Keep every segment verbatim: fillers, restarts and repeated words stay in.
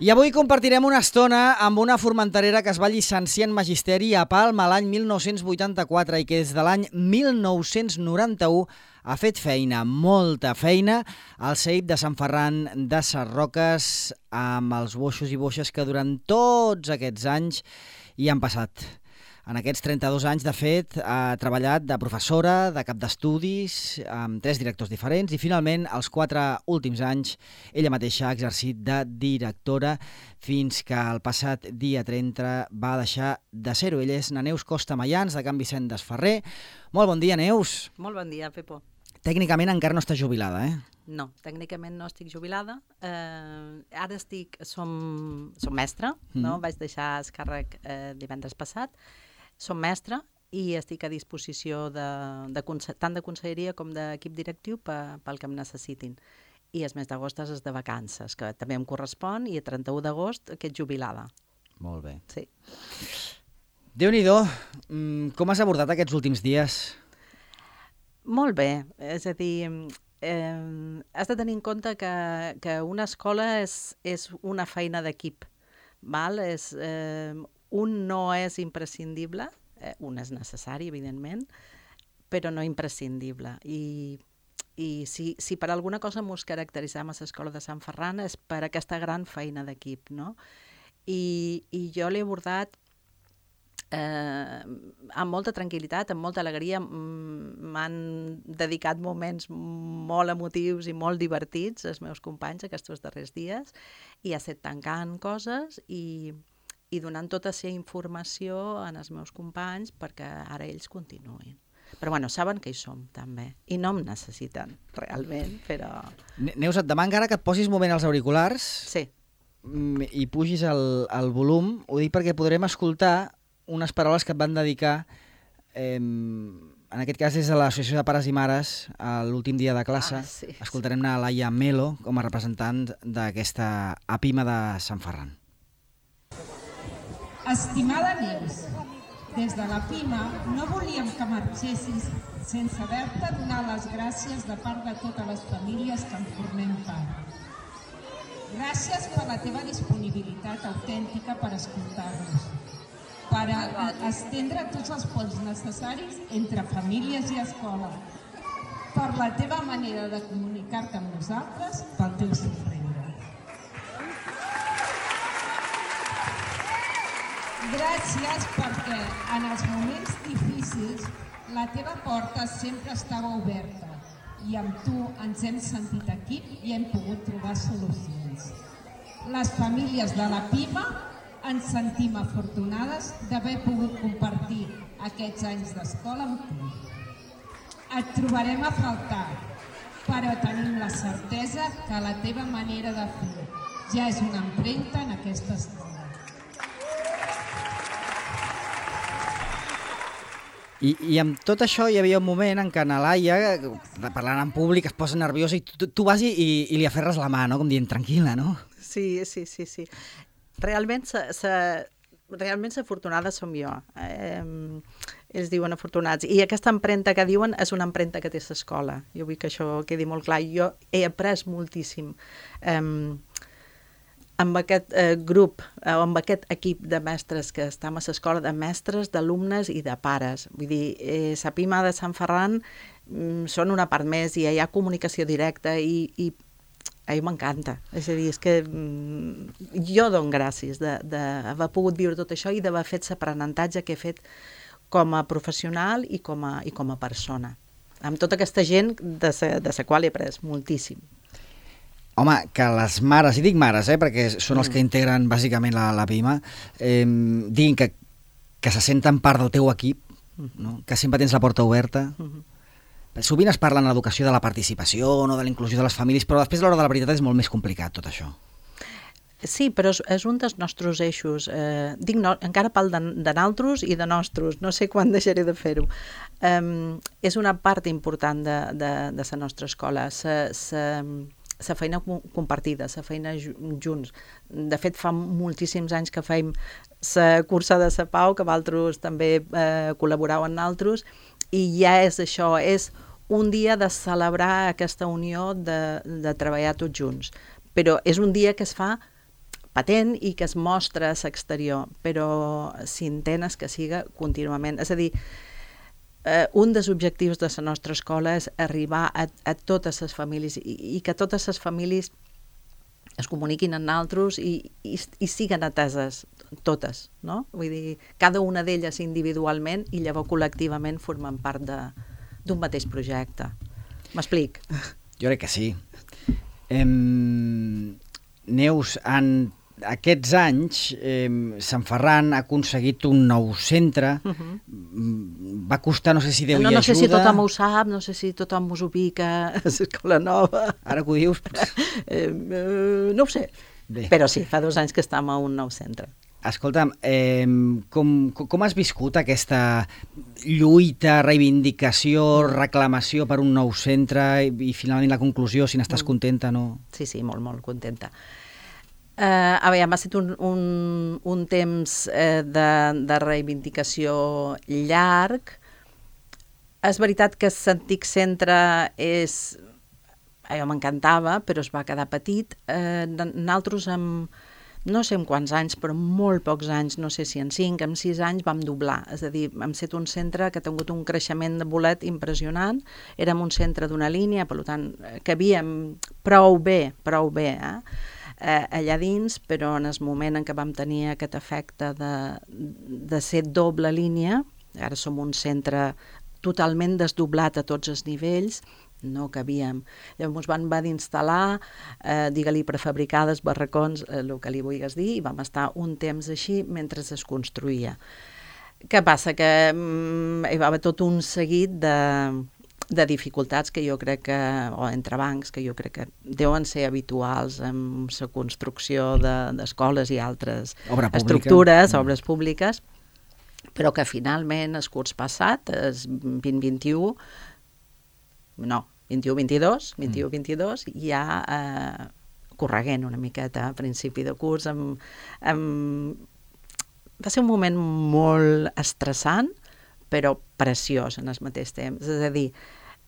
I avui compartirem una estona amb una formenterera que es va llicenciar en Magisteri a Palma l'any mil nou-cents vuitanta-quatre i que des de l'any mil nou-cents noranta-u ha fet feina, molta feina, al C E I P de Sant Ferran de Sarroques amb els boixos i boixes que durant tots aquests anys hi han passat. En aquests trenta-dos anys, de fet, ha treballat de professora, de cap d'estudis, amb tres directors diferents i, finalment, els quatre últims anys, ella mateixa ha exercit de directora fins que el passat dia trenta va deixar de ser-ho. Ella és na Neus Costa Mayans, de Can Vicent d'Esferrer. Molt bon dia, Neus. Molt bon dia, Pepo. Tècnicament encara no estàs jubilada, eh? No, tècnicament no estic jubilada. Eh, ara estic, som, som mestra, mm. no? Vaig deixar el càrrec eh, divendres passat. Som mestra i estic a disposició de, de, tant de conselleria com d'equip directiu pe, pel que em necessitin. I el mes d'agost és de vacances, que també em correspon, i a trenta-u d'agost que ets jubilada. Molt bé. Sí. Déu-n'hi-do, com has abordat aquests últims dies? Molt bé, és a dir, eh, has de tenir en compte que, que una escola és, és una feina d'equip, val? És... Eh, un no és imprescindible, eh, un és necessari, evidentment, però no imprescindible. I, i si, si per alguna cosa mos caracteritzem a l'Escola de Sant Ferran és per aquesta gran feina d'equip, no? I, i jo l'he abordat eh, amb molta tranquil·litat, amb molta alegria. M'han dedicat moments molt emotius i molt divertits els meus companys aquests darrers dies, i ha estat tancant coses i... i donant tota aquesta informació als meus companys perquè ara ells continuïn. Però bueno, saben que hi som, també. I no em necessiten, realment, però... Neus, et demano ara que et posis un moment els auriculars sí. i pugis el, el volum. Ho dic perquè podrem escoltar unes paraules que et van dedicar, eh, en aquest cas des de l'Associació de Pares i Mares, a l'últim dia de classe. Ah, sí, Escoltarem a Laia Melo com a representant d'aquesta APIMA de Sant Ferran. Estimada Neus, des de la PIMA no volíem que marxessis sense haver-te donar les gràcies de part de totes les famílies que en formem part. Gràcies per la teva disponibilitat autèntica per escoltar-nos, per estendre tots els ponts necessaris entre famílies i escola, per la teva manera de comunicar-te amb nosaltres, pel teu somriure. Gràcies perquè en els moments difícils la teva porta sempre estava oberta i amb tu ens hem sentit equip i hem pogut trobar solucions. Les famílies de la PIMA ens sentim afortunades d'haver pogut compartir aquests anys d'escola amb tu. Et trobarem a faltar, però tenim la certesa que la teva manera de fer ja és una empremta en aquesta escola. I, I amb tot això hi havia un moment en què na Laia, parlant en públic, es posa nerviosa i tu, tu vas i, i li aferres la mà, no? Com dient, tranquil·la, no? Sí, sí, sí, sí. Realment, sa, sa, realment afortunada som jo. Eh, ells diuen afortunats. I aquesta empremta que diuen és una empremta que té l'escola. Jo vull que això quedi molt clar. Jo he après moltíssim. Eh, amb aquest eh, grup, eh, amb aquest equip de mestres que estem a l'escola, de mestres, d'alumnes i de pares. Vull dir, eh, la PIMA de Sant Ferran mm, són una part més i hi ha comunicació directa i, i a mi m'encanta. És a dir, és que mm, jo dono gràcies d'haver pogut viure tot això i d'haver fet l'aprenentatge que he fet com a professional i com a, i com a persona. Amb tota aquesta gent de la de la qual he après moltíssim. Home, que les mares, i dic mares, eh, perquè són els que integren bàsicament la, la PIMA, eh, diguin que, que se senten part del teu equip, no? Que sempre tens la porta oberta. Uh-huh. Sovint es parla en l'educació de la participació, no, de la inclusió de les famílies, però després a l'hora de la veritat és molt més complicat tot això. Sí, però és, és un dels nostres eixos. Eh, dic no, encara parlo de, de naltros i de nostres, no sé quan deixaré de fer-ho. Um, és una part important de, de, de la nostra escola. Se, se, la feina compartida, la feina junts. De fet, fa moltíssims anys que feim la cursa de la Pau, que vosaltres també eh, col·laboreu en nosaltres, i ja és això, és un dia de celebrar aquesta unió de, de treballar tots junts. Però és un dia que es fa patent i que es mostra a l'exterior, però s'intenta que siga contínuament. És a dir, eh, un dels objectius de la nostra escola és arribar a, a totes les famílies i, i que totes les famílies es comuniquin amb nosaltres i, i, i siguen ateses totes, no? Vull dir, cada una d'elles individualment i llavors col·lectivament formen part d'un mateix projecte. M'explic? Jo crec que sí. Em... Neus, en aquests anys eh, Sant Ferran ha aconseguit un nou centre. Uh-huh. Va costar, no sé si Déu no, hi no ajuda. No sé si tothom ho sap, no sé si tothom us ubica a l'escola nova. Ara que ho dius... eh, eh, no ho sé. Bé. Però sí, fa dos anys que estem a un nou centre. Escolta'm, eh, com, com has viscut aquesta lluita, reivindicació, reclamació per un nou centre i, i finalment la conclusió, si n'estàs contenta o no? Sí, sí, molt, molt contenta. Uh, a veure, m'ha estat un, un, un temps uh, de, de reivindicació llarg. És veritat que l'antic centre és... allò m'encantava, però es va quedar petit. Uh, nosaltres amb... no sé en quants anys, però molt pocs anys, no sé si en cinc, en sis anys vam doblar. És a dir, hem estat un centre que ha tingut un creixement de bolet impressionant. Érem un centre d'una línia, per tant, que havíem prou bé, prou bé, eh? Eh, allà dins, però en el moment en què vam tenir aquest efecte de, de ser doble línia, ara som un centre totalment desdoblat a tots els nivells, no cabíem. Llavors van va d'instal·lar, eh, digue-li prefabricades, barracons, eh, el que li vulguis dir, i vam estar un temps així mentre es construïa. Què passa? Que mm, hi va haver tot un seguit de, de dificultats que jo crec que, o entrebancs, que jo crec que deuen ser habituals en la construcció d'escoles de, i altres estructures, mm. obres públiques, però que finalment, el curs passat, el vint vint-i-u, no, vint-i-u vint-i-dos, vint-i-u vint-i-dos, ja eh, correguent una miqueta a principi de curs. Amb, amb... Va ser un moment molt estressant, però preciós en el mateix temps. És a dir,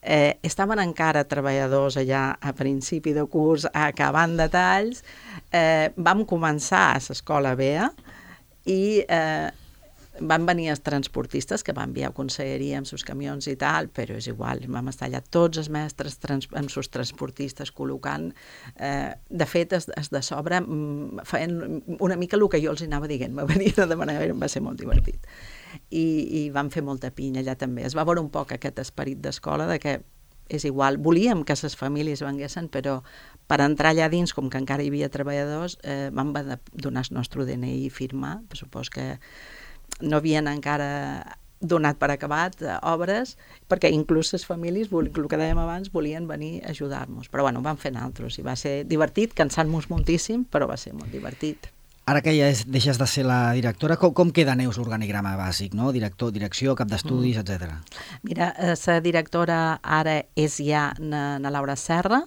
eh, estaven encara treballadors allà a principi de curs, acabant detalls. Eh, vam començar a l'escola B E A i... Eh, van venir els transportistes que van enviar a conselleria amb seus camions i tal, però és igual, vam estar allà tots els mestres trans, amb seus transportistes col·locant. Eh, de fet, es, es de sobre feien una mica el que jo els anava dient, me venien a demanar, va ser molt divertit. I, i van fer molta pinya allà també. Es va veure un poc aquest esperit d'escola de que és igual, volíem que les famílies venguessin, però per entrar allà dins, com que encara hi havia treballadors, eh, vam donar el nostre D N I i firmar, per supos que no havien encara donat per acabat eh, obres, perquè inclús les famílies, el que dèiem abans, volien venir a ajudar-nos. Però bueno, ho vam fer nosaltres i va ser divertit, cansant-nos moltíssim, però va ser molt divertit. Ara que ja és, deixes de ser la directora, com, com queda, Neus, l'organigrama bàsic, no? Director, direcció, cap d'estudis, mm. etcètera. Mira, la directora ara és ja na, na Laura Serra,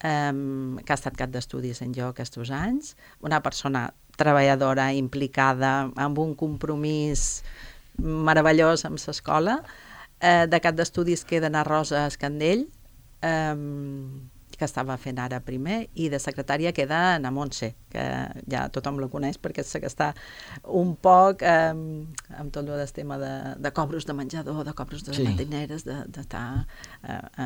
um, que ha estat cap d'estudis en jo aquests anys, una persona treballadora, implicada, amb un compromís meravellós amb l'escola. Eh, de cap d'estudis queda na Rosa Escandell, eh, que estava fent ara primer, i de secretària queda na Montse, que ja tothom la coneix perquè és que està un poc eh, amb tot el tema de, de cobros de menjador, de cobros de sí. matineres, d'estar de, eh,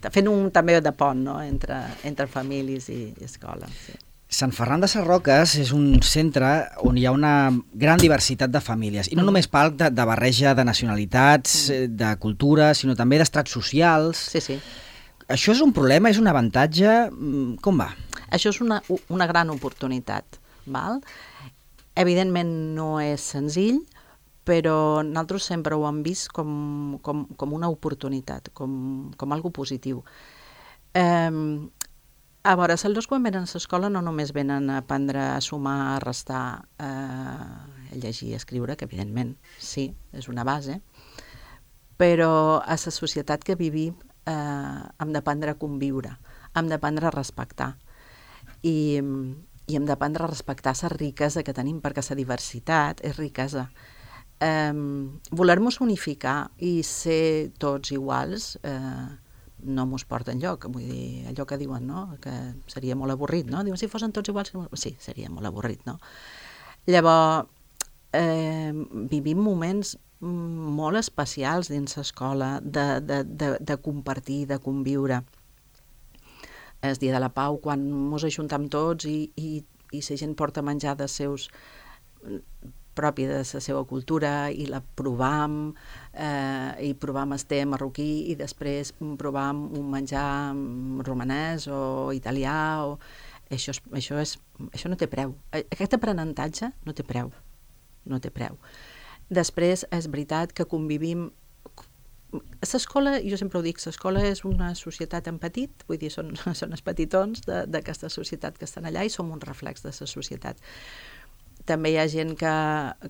eh, fent un també de pont, no?, entre, entre famílies i, i escola. Sí. Sant Ferran de Sarroques és un centre on hi ha una gran diversitat de famílies, i no mm. només parc de, de barreja de nacionalitats, mm. de cultura, sinó també d'estrats socials. Sí, sí. Això és un problema, és un avantatge? Com va? Això és una, una gran oportunitat, val? Evidentment no és senzill, però nosaltres sempre ho hem vist com, com, com una oportunitat, com, com algo positiu. Eh, A veure, els alumnes quan venen a l'escola no només venen a aprendre a sumar, a restar, eh, a llegir i a escriure, que evidentment sí, és una base, però a la societat que vivim eh, hem d'aprendre a conviure, hem d'aprendre a respectar i, i hem d'aprendre a respectar la riquesa que tenim, perquè la diversitat és riquesa. Eh, voler-nos unificar i ser tots iguals, eh, no mos porta enlloc, vull dir, allò que diuen, no?, que seria molt avorrit, no? Diuen, si fossin tots iguals, sí, seria molt avorrit, no? Llavors, eh, vivim moments molt especials dins l'escola, de, de, de, de compartir, de conviure. El dia de la Pau, quan mos ajuntam tots i, i, i la gent porta menjar dels seus propi de la seva cultura i la provam, eh, i provam el té marroquí i després provam un menjar romanès o italià. O... Això, és, això, és, això no té preu. Aquest aprenentatge no té preu. No té preu. Després, és veritat que convivim... L'escola, jo sempre ho dic, l'escola és una societat en petit, vull dir, són, són els petitons d'aquesta societat que estan allà i som un reflex de la societat. També hi ha gent que,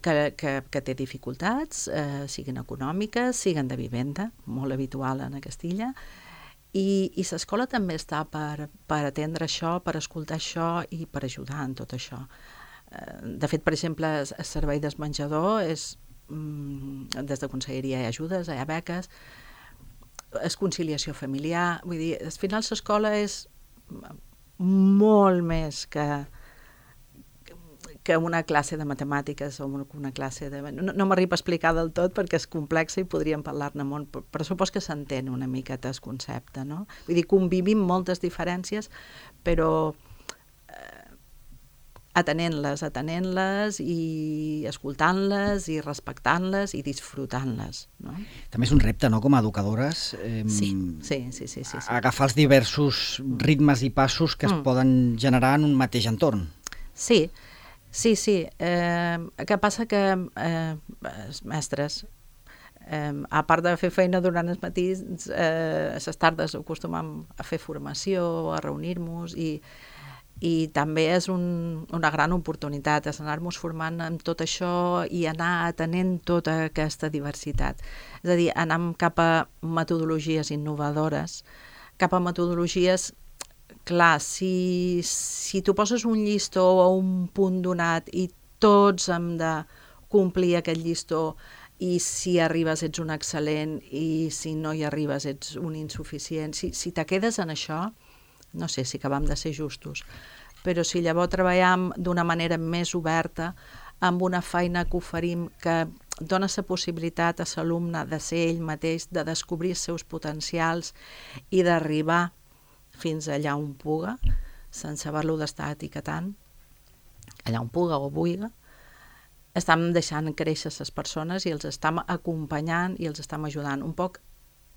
que, que, que té dificultats, eh, siguin econòmiques, siguin de vivenda, molt habitual a Castilla, i, i l'escola també està per, per atendre això, per escoltar això i per ajudar en tot això. Eh, de fet, per exemple, el, el servei del menjador és, mm, des de conselleria hi ha ajudes, hi ha beques, és conciliació familiar, vull dir, al final l'escola és molt més que que una classe de matemàtiques o una classe de... No, no m'arriba a explicar del tot perquè és complexa i podríem parlar-ne molt, però supos que s'entén una miqueta el concepte, no? Vull dir, convivim moltes diferències, però eh, atenent-les, atenent-les i escoltant-les i respectant-les i disfrutant-les, no? També és un repte, no?, com a educadores. Eh, sí, sí, sí, sí, sí, sí. Agafar els diversos ritmes i passos que es mm. poden generar en un mateix entorn. Sí, Sí, sí. Eh, què passa que eh, els mestres, eh, a part de fer feina durant els matins, eh, a les tardes acostumam a fer formació, a reunir-nos i, i també és un, una gran oportunitat anar-nos formant amb tot això i anar atenent tota aquesta diversitat. És a dir, anar cap a metodologies innovadores, cap a metodologies... Clar, si, si tu poses un llistó o un punt donat i tots hem de complir aquest llistó i si arribes ets un excel·lent i si no hi arribes ets un insuficient, si, si te quedes en això, no sé si acabam de ser justos, però si llavors treballem d'una manera més oberta, amb una feina que oferim que dona la possibilitat a l'alumne de ser ell mateix, de descobrir els seus potencials i d'arribar fins allà on puga, sense haver-lo d'estar etiquetant, allà on puga o vulga, estem deixant créixer les persones i els estem acompanyant i els estem ajudant. Un poc,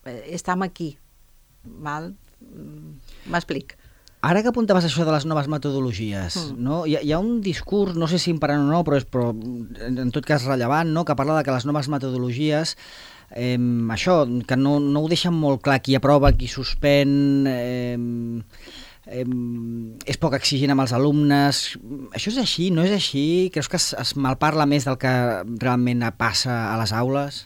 eh, estem aquí, val? M'explic. Ara que apuntaves això de les noves metodologies, mm. no? Hi, ha, hi ha un discurs, no sé si imperant o no, però és però, en tot cas rellevant, no?, que parla de que les noves metodologies Eh, això, que no, no ho deixen molt clar qui aprova, qui suspèn, eh, eh, és poc exigent amb els alumnes. Això és així, no és així? Creus que es, es malparla més del que realment passa a les aules?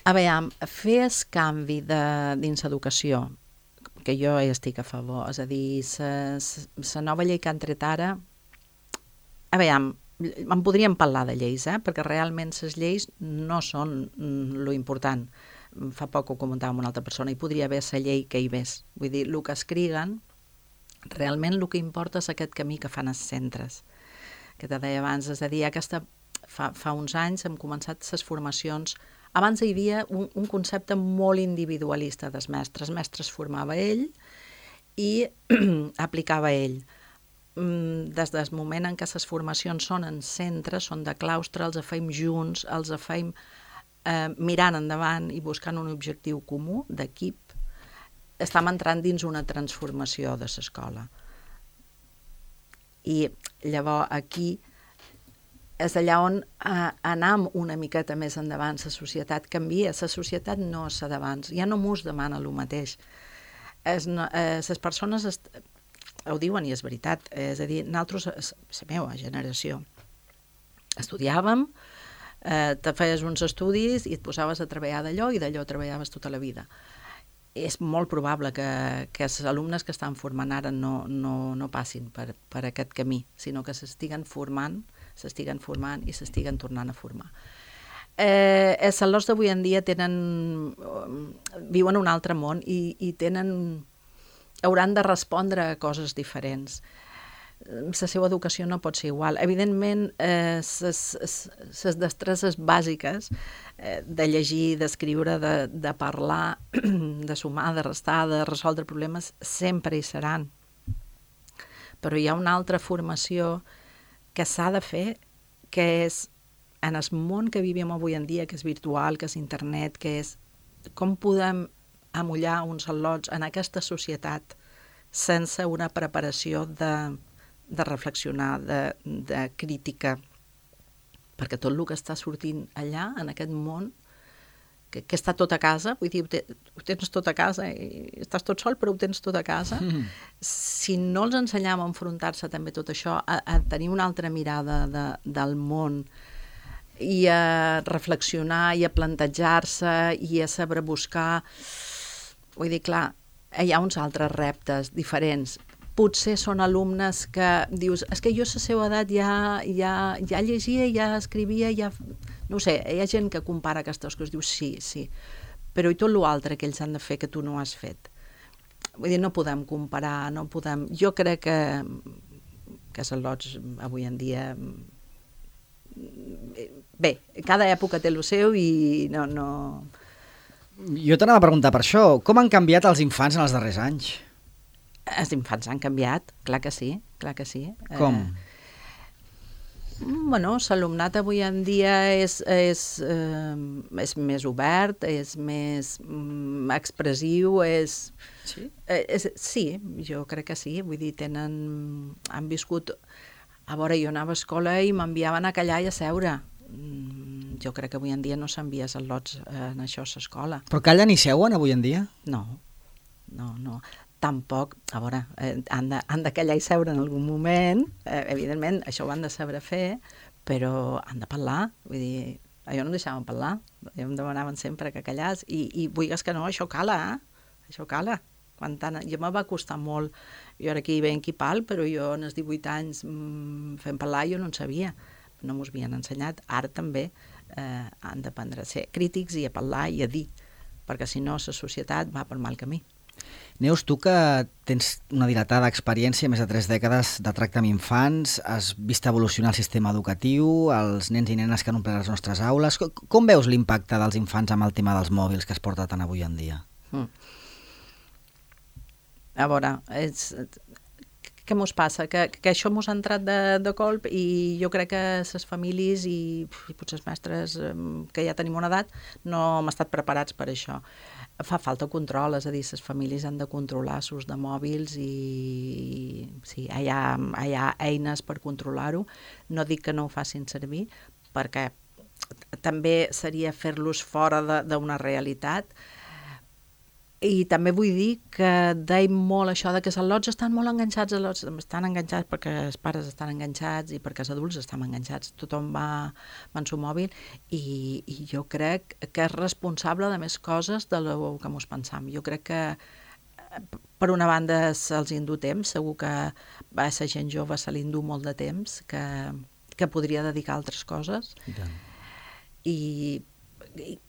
A veure, fer el canvi de, dins l'educació, que jo hi estic a favor, és a dir, la nova llei que han tret ara, a veure, en podríem parlar de lleis, eh? Perquè realment les lleis no són lo important. Fa poc ho comentava amb una altra persona, hi podria haver la llei que hi ves. Vull dir, el que escriguen, realment el que importa és aquest camí que fan els centres. Que te deia abans, és a dir, aquesta, fa, fa uns anys hem començat les formacions. Abans hi havia un, un concepte molt individualista dels mestres. Els mestres formava ell i aplicava ell. Des del moment en què les formacions són en centre, són de claustre, els feim junts, els feim eh, mirant endavant i buscant un objectiu comú d'equip, estem entrant dins una transformació de l'escola. I llavors aquí és allà on eh, anam una miqueta més endavant, la societat canvia, la societat no és la d'abans, ja no mos demana el mateix. Les no, eh, persones... Est- ho diuen i és veritat, és a dir, nosaltres, la meva generació, estudiàvem, eh, te feies uns estudis i et posaves a treballar d'allò i d'allò treballaves tota la vida. És molt probable que, que els alumnes que estan formant ara no, no, no passin per, per aquest camí, sinó que s'estiguen formant, s'estiguen formant i s'estiguen tornant a formar. Eh, els al·lots d'avui en dia tenen, viuen un altre món i, i tenen, hauran de respondre a coses diferents. La seva educació no pot ser igual. Evidentment, les destreses bàsiques eh, de llegir, d'escriure, de, de parlar, de sumar, de restar, de resoldre problemes, sempre hi seran. Però hi ha una altra formació que s'ha de fer, que és en el món que vivim avui en dia, que és virtual, que és internet, que és com podem amollar uns al·lots en aquesta societat sense una preparació de, de reflexionar, de, de crítica, perquè tot el que està sortint allà, en aquest món, que, que està tot a casa, vull dir, ho, te, ho tens tot a casa, i estàs tot sol, però ho tens tot a casa. Mm. Si no els ensenyam a enfrontar-se també tot això, a, a tenir una altra mirada de, del món, i a reflexionar, i a plantejar-se, i a saber buscar... Vull dir, clar, hi ha uns altres reptes diferents. Potser són alumnes que dius, és que jo a la seva edat ja, ja, ja llegia, ja escrivia, ja... No sé, hi ha gent que compara aquestes coses, diu sí, sí, però i tot l'altre que ells han de fer que tu no has fet. Vull dir, no podem comparar, no podem... Jo crec que, que els al·lots avui en dia... Bé, cada època té el seu i no... no... Jo t'anava a preguntar per això. Com han canviat els infants en els darrers anys? Els infants han canviat, clar que sí, clar que sí. Com? Eh, bueno, l'alumnat avui en dia és, és, eh, és més obert, és més mm, expressiu, és... Sí? Eh, és... Sí, jo crec que sí. Vull dir, tenen... Han viscut... A veure, jo anava a escola i m'enviaven a callar i a seure. Mm, jo crec que avui en dia no s'envia al·lots en això a l'escola. Però callen i seuen avui en dia? No, no, no. Tampoc, a veure, eh, han, de, han de callar i seure en algun moment, eh, evidentment, això ho han de saber fer, però han de parlar, vull dir, a jo no em deixaven parlar, jo em demanaven sempre que callàs, i, i vulguis que no, això cala, eh? Això cala. Quan tant, jo me va costar molt, jo ara aquí veiem qui pal, però jo en els divuit anys mmm, fent parlar jo no en sabia, no m'ho havien ensenyat, ara també eh, han d'aprendre a ser crítics i a parlar i a dir, perquè si no la societat va per mal camí. Neus, tu que tens una dilatada experiència, més de tres dècades de tracte amb infants, has vist evolucionar el sistema educatiu, els nens i nenes que han omplert les nostres aules, com, com veus l'impacte dels infants amb el tema dels mòbils que es porta tant avui en dia? Mm. A veure, és, què mos passa? Que, que això mos ha entrat de, de colp i jo crec que les famílies i, i potser els mestres que ja tenim una edat no hem estat preparats per això. Fa falta control, és a dir, les famílies han de controlar l'ús de mòbils i sí, hi ha, hi ha eines per controlar-ho. No dic que no ho facin servir, perquè també seria fer-los fora d'una realitat. I també vull dir que deim molt això de que els al·lots estan molt enganxats, al·lots estan enganxats perquè els pares estan enganxats i perquè els adults estan enganxats, tothom va, va en seu mòbil i, i jo crec que és responsable de més coses de lo que mos pensam. Jo crec que per una banda se'ls indú temps, segur que a la gent jove se li indú molt de temps que, que podria dedicar a altres coses. I tant. I, i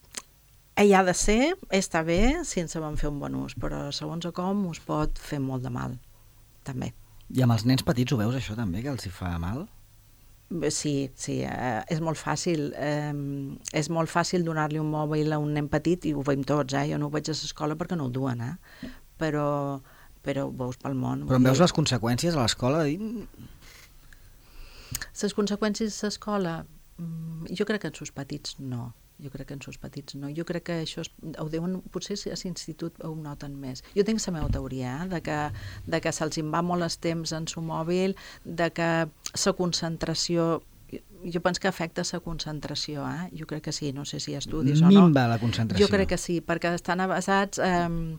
hi ha de ser, està bé, si ens sabem fer un bon ús, però segons com us pot fer molt de mal, també. I amb els nens petits ho veus això també, que els hi fa mal? Sí, sí, eh, és molt fàcil. Eh, és molt fàcil donar-li un mòbil a un nen petit, i ho veiem tots, eh? Jo no ho veig a l'escola perquè no ho duen, eh? Però, però ho veus pel món. Però en veus les conseqüències a l'escola? Les conseqüències a l'escola, jo crec que en sus petits no. Jo crec que en sus petits no. Jo crec que això es, ho deuen, potser a l'institut ho noten més. Jo tinc la meva teoria, eh, de que, de que se'ls en va molt el temps en su mòbil, de que la concentració, jo penso que afecta la concentració, eh? Jo crec que sí, no sé si hi ha estudis o no. Minva la concentració. Jo crec que sí, perquè estan basats eh,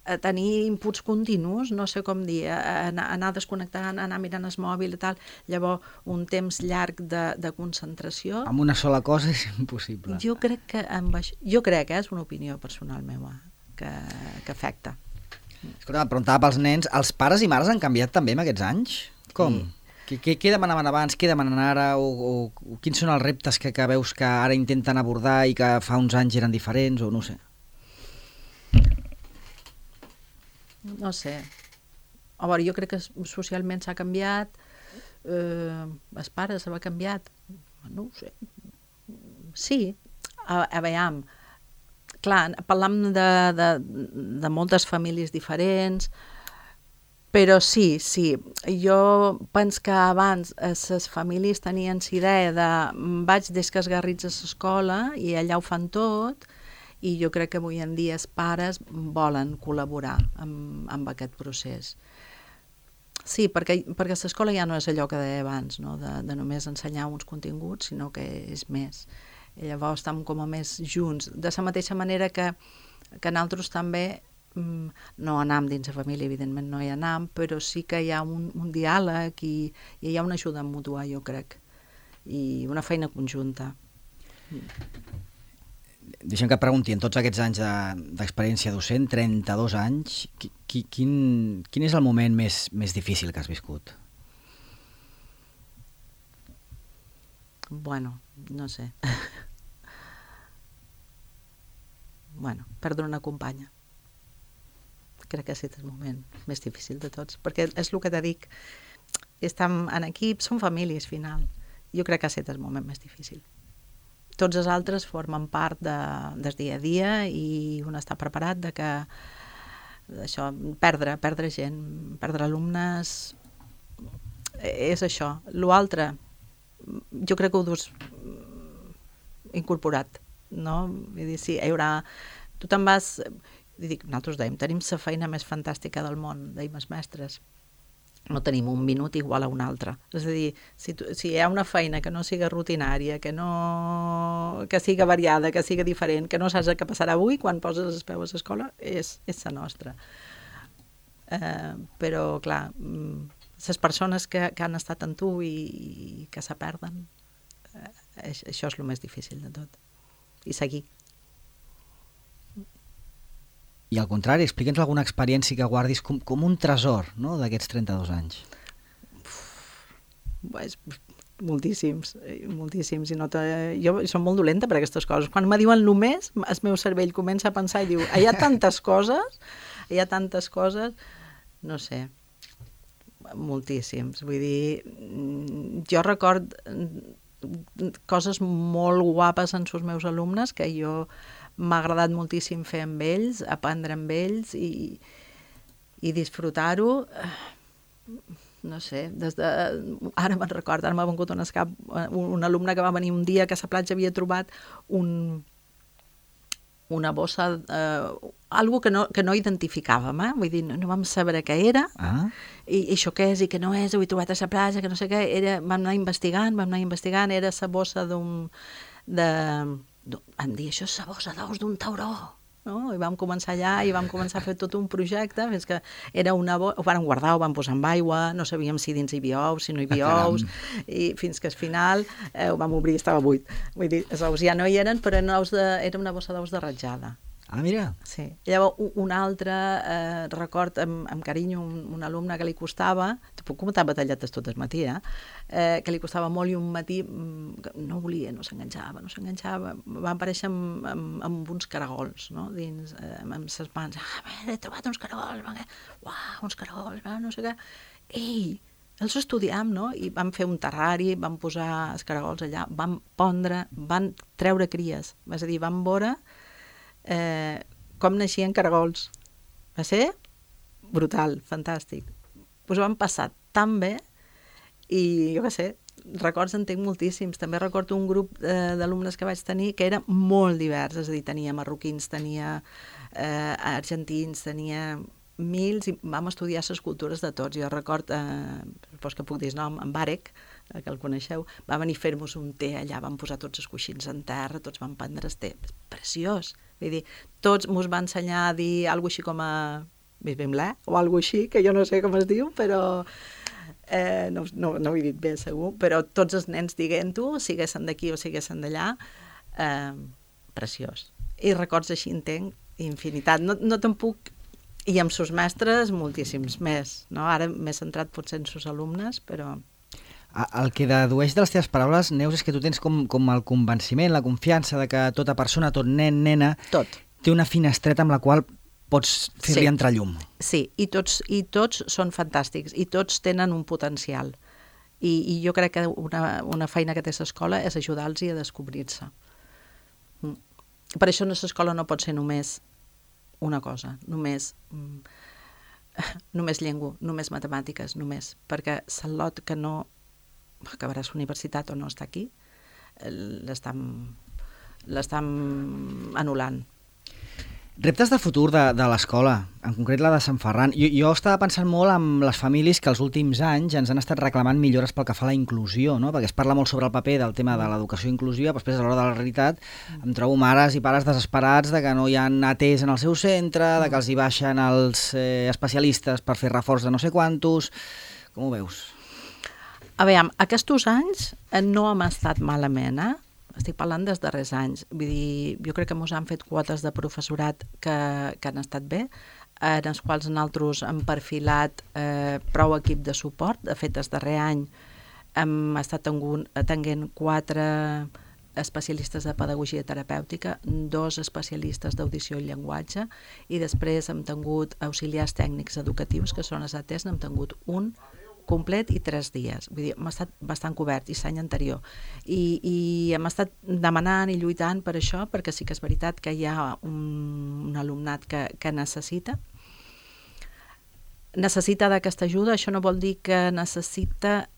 a tenir inputs continus, no sé com dir, a anar, a anar desconnectant, a anar mirant el mòbil i tal, llavors un temps llarg de, de concentració... Amb una sola cosa és impossible. Jo crec que, amb això, jo crec, eh, és una opinió personal meva, que, que afecta. Escolta, em preguntava pels nens, els pares i mares han canviat també en aquests anys? Com? Sí. Què, què, què demanaven abans, què demanen ara, o, o, o quins són els reptes que, que veus que ara intenten abordar i que fa uns anys eren diferents, o no sé? No sé. A veure, jo crec que socialment s'ha canviat, eh, els pares s'ha canviat, no ho sé. Sí, a, a veure, clar, parlam de, de, de moltes famílies diferents, però sí, sí, jo penso que abans les famílies tenien la idea de vaig des que esgarrits a l'escola i allà ho fan tot, i jo crec que avui en dia els pares volen col·laborar amb, amb aquest procés. Sí, perquè, perquè l'escola ja no és allò que deia abans, no? de, de només ensenyar uns continguts, sinó que és més. I llavors estem com a més junts. De la mateixa manera que, que nosaltres també no anam dins la família, evidentment no hi anam, però sí que hi ha un, un diàleg i, i hi ha una ajuda mútua, jo crec, i una feina conjunta. Deixa'm que et pregunti, en tots aquests anys d'experiència de, docent, trenta-dos anys, qui, qui, quin, quin és el moment més, més difícil que has viscut? Bueno, no sé. Bueno, perdre una companya. Crec que és el moment més difícil de tots, perquè és el que te dic, estem en equip, són famílies, final. Jo crec que és el moment més difícil. Tots els altres formen part de, del dia a dia i un està preparat de que això, perdre, perdre gent, perdre alumnes, és això. L'altre, jo crec que ho dus incorporat, no? Vull dir, sí, hi haurà... Tu te'n vas... Dic, nosaltres dèiem, tenim la feina més fantàstica del món, dèiem els mestres. No tenim un minut igual a un altre. És a dir, si, tu, si hi ha una feina que no siga rutinària, que no que siga variada, que siga diferent, que no saps què passarà avui, quan poses els peus a l'escola, és, és la nostra. Eh, però, clar, les persones que, que han estat amb tu i, i que se perden, eh, això és el més difícil de tot. I seguir. I al contrari, explica'ns alguna experiència que guardis com, com un tresor, no?, d'aquests trenta-dos anys. Pues, moltíssims, moltíssims. I no te... Jo soc molt dolenta per aquestes coses. Quan me diuen només, el meu cervell comença a pensar i diu, hi ha tantes coses, hi ha tantes coses, no sé, moltíssims. Vull dir, jo record coses molt guapes en els meus alumnes que jo m'ha agradat moltíssim fer amb ells, aprendre amb ells i, i disfrutar-ho. No sé, des de... ara me'n recordo, ara m'ha vengut un escap, un, un alumne que va venir un dia que a la platja havia trobat un, una bossa, eh, algo que no, que no identificàvem, eh? Vull dir, no, no vam saber què era, ah. i, i això què és i què no és, ho he trobat a la platja, que no sé què, era, vam anar investigant, vam anar investigant, era la bossa d'un... de... vam dir, això és la bossa d'ous d'un tauró, no? I vam començar allà i vam començar a fer tot un projecte, fins que era una bossa, ho vam guardar, ho vam posar amb aigua, no sabíem si dins hi havia ous, si no hi havia ah, ous, i fins que al final eh, ho vam obrir i estava buit. Vull dir, els ous ja no hi eren, però eren ous de, era una bossa d'ous de ratjada. Ah, mira. Sí. Llavors, un altre, eh, record amb, amb carinyo, un, un alumne que li costava, te puc comentar batalletes tot el matí, eh? eh? que li costava molt i un matí no volia, no s'enganxava, no s'enganxava. Va aparèixer amb, amb, amb uns caragols, no? Dins, eh, amb ses mans. Ah, he trobat uns caragols, uau, uns caragols, no sé què. Ei, els estudiem, no? I vam fer un terrari, vam posar els caragols allà, vam pondre, van treure cries. És a dir, vam veure Eh, com naixien caragols. Va ser brutal, fantàstic. Pues ho vam passar tan bé i jo què sé, records en tinc moltíssims. També recordo un grup eh, d'alumnes que vaig tenir que era molt divers, és a dir, tenia marroquins, tenia eh, argentins, tenia mils, i vam estudiar les cultures de tots. Jo record, eh, doncs que puc dir el nom, en Barek, que el coneixeu, va venir a fer-nos un té allà, vam posar tots els coixins en terra, tots vam prendre el té, preciós. Vull dir, tots mos va ensenyar a dir alguna cosa així com a bisbimlà, o alguna cosa així, que jo no sé com es diu, però eh, no, no, no ho he dit bé segur, però tots els nens diguent-ho, siguessin d'aquí o siguessin d'allà, eh, preciós. I records així en tenc infinitat. No, no te'n puc... I amb sos mestres moltíssims més, no? Ara m'he centrat potser en sos alumnes, però... El que dedueix de les teves paraules, Neus, és que tu tens com, com el convenciment, la confiança de que tota persona, tot nen, nena, Tot. té una finestreta amb la qual pots fer-li Sí. entrar llum. Sí, i tots, i tots són fantàstics, i tots tenen un potencial. I, i jo crec que una, una feina que té l'escola és ajudar-los a descobrir-se. Mm. Per això l'escola no pot ser només una cosa, només, mm, només llengua, només matemàtiques, només, perquè l'Al·lot que no acabaràs universitat o no està aquí, l'estan l'estan anul·lant. Reptes de futur de, de l'escola, en concret la de Sant Ferran. Jo, jo estava pensant molt en les famílies que els últims anys ens han estat reclamant millores pel que fa a la inclusió, no? Perquè es parla molt sobre el paper del tema de l'educació inclusiva, però després a l'hora de la realitat em trobo mares i pares desesperats de que no hi ha atès en el seu centre, de que els hi baixen els eh, especialistes per fer reforç de no sé quantos. Com ho veus? A veure, aquests anys no hem estat malament, eh? Estic parlant dels darrers anys. Vull dir, jo crec que ens han fet quotes de professorat que, que han estat bé, en els quals nosaltres hem perfilat eh, prou equip de suport. De fet, el darrer any hem estat tenint quatre especialistes de pedagogia terapèutica, dos especialistes d'audició i llenguatge, i després hem tingut auxiliars tècnics educatius, que són els A T Es, n'hem tingut un complet i tres dies. Vull dir, hem estat bastant cobert, i l'any anterior. I, I hem estat demanant i lluitant per això, perquè sí que és veritat que hi ha un, un alumnat que, que necessita. Necessita d'aquesta ajuda, això no vol dir que necessita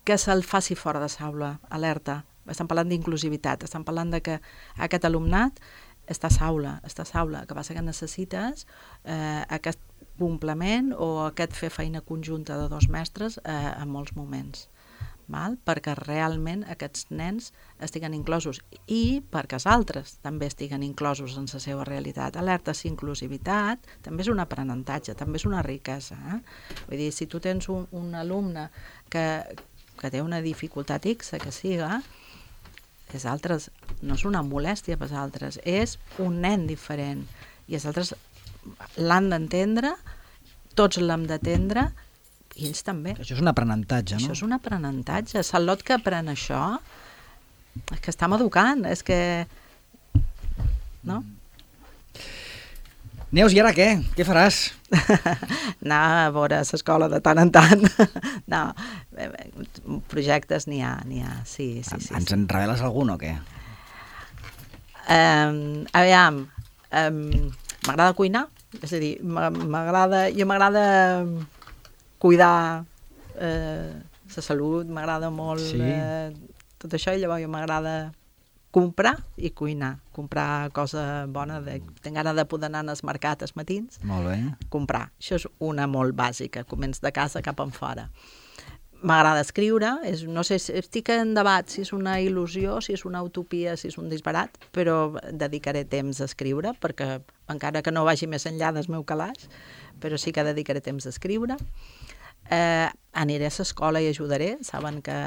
que se'l faci fora de l'aula, alerta. Estem parlant d'inclusivitat, estem parlant de que aquest alumnat està a l'aula, està a l'aula, que passa que necessites eh, aquest complement o aquest fer feina conjunta de dos mestres eh, en molts moments, val? Perquè realment aquests nens estiguen inclosos i perquè els altres també estiguen inclosos en la seva realitat. Alerta, si inclusivitat també és un aprenentatge, també és una riquesa. Eh? Vull dir, si tu tens un, un alumne que, que té una dificultat X, que siga, els altres no és una molèstia per als altres, és un nen diferent i els altres l'han d'entendre, tots l'hem d'atendre i ells també. Això és un aprenentatge, no? Això és un aprenentatge. L'Al·lot que aprèn això és que estem educant, és que... No? Neus, i ara què? Què faràs? Anar a veure l'escola de tant en tant. No, projectes n'hi ha, n'hi ha, sí, sí, sí. Ens sí. en reveles algun o què? Um, aviam, um, m'agrada cuinar, és a dir, m'agrada, jo m'agrada cuidar eh, la salut, m'agrada molt sí. eh, tot això, i llavors m'agrada comprar i cuinar, comprar cosa bona, de, tinc ganes de poder anar als mercats als matins, molt bé. Comprar, això és una molt bàsica, començ de casa cap en fora. M'agrada escriure, és, no sé, estic en debat si és una il·lusió, si és una utopia, si és un disbarat, però dedicaré temps a escriure, perquè encara que no vagi més enllà del meu calaix, però sí que dedicaré temps a escriure. Eh, aniré a l'escola i ajudaré, saben que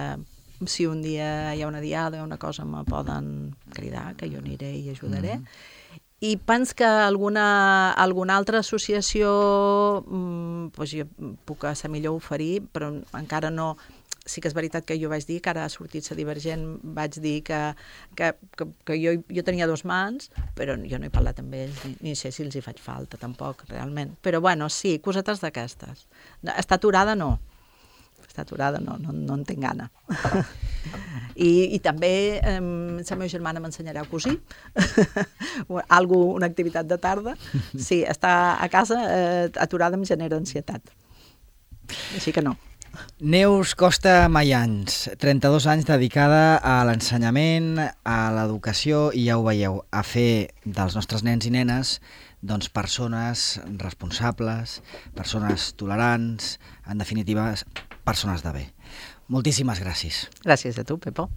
si un dia hi ha una diada o una cosa me poden cridar, que jo aniré i ajudaré. Mm. I penso que alguna, alguna altra associació mmm, doncs jo puc a ser millor oferir, però encara no... Sí que és veritat que jo vaig dir que ara ha sortit la Divergent, vaig dir que, que, que, que jo, jo tenia dos mans, però jo no he parlat amb ells, ni, ni sé si els hi faig falta tampoc, realment. Però bueno, sí, cosetes d'aquestes. Està aturada, no. Està aturada, no, no, no en tinc gana. I, i també eh, la meva germana m'ensenyarà a cosir, algo, una activitat de tarda. Sí, estar a casa eh, aturada em genera ansietat. Així que no. Neus Costa Mayans, trenta-dos anys dedicada a l'ensenyament, a l'educació i ja ho veieu, a fer dels nostres nens i nenes doncs persones responsables, persones tolerants, en definitiva, persones de bé. Moltíssimes gràcies. Gràcies a tu, Pepo.